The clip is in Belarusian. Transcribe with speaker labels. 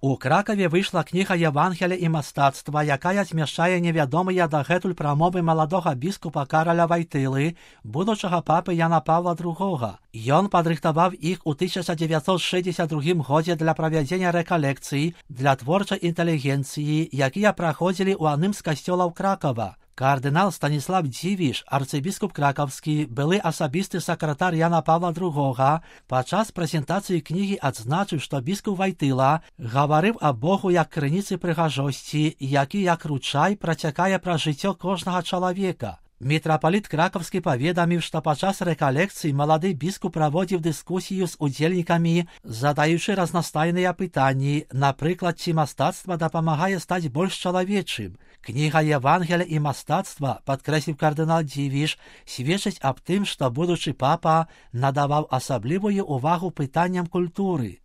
Speaker 1: У Кракаве выйшла кніга «Євангелія і мастацтва», якая змяшчае невядомыя дагэтуль прамовы маладога біскупа Караля Вайтылы, будучага папы Яна Павла II. Ён падрыхтаваў іх у 1962 годзе для правядзення рэкалекцый для творчай інтэлігенцыі, якія праходзілі ў адным з касцёлаў Кракава. Кардынал Станіслав Дзівіш, арцыбіскуп кракаўскі, былы асабісты сакратар Яна Павла II, падчас прэзентацыі кнігі адзначыў, што біскуп Вайтыла гаварыў аб Богу як крыніцы прыгажосці, які як ручай працякае праз жыццё кожнага чалавека. Мітрапаліт кракаўскі паведаміў, што падчас рэкалекцыі малады біскуп праводзіў дыскусію з удзельнікамі, задаючы разнастайныя пытанні, напрыклад, ці мастацтва дапамагае стаць больш чалавечым. Кніга «Євангелія і мастацтва», падкрэсліў кардынал Дзівіш, сведчыць аб тым, што будучы папа надаваў асаблівую ўвагу пытанням культуры.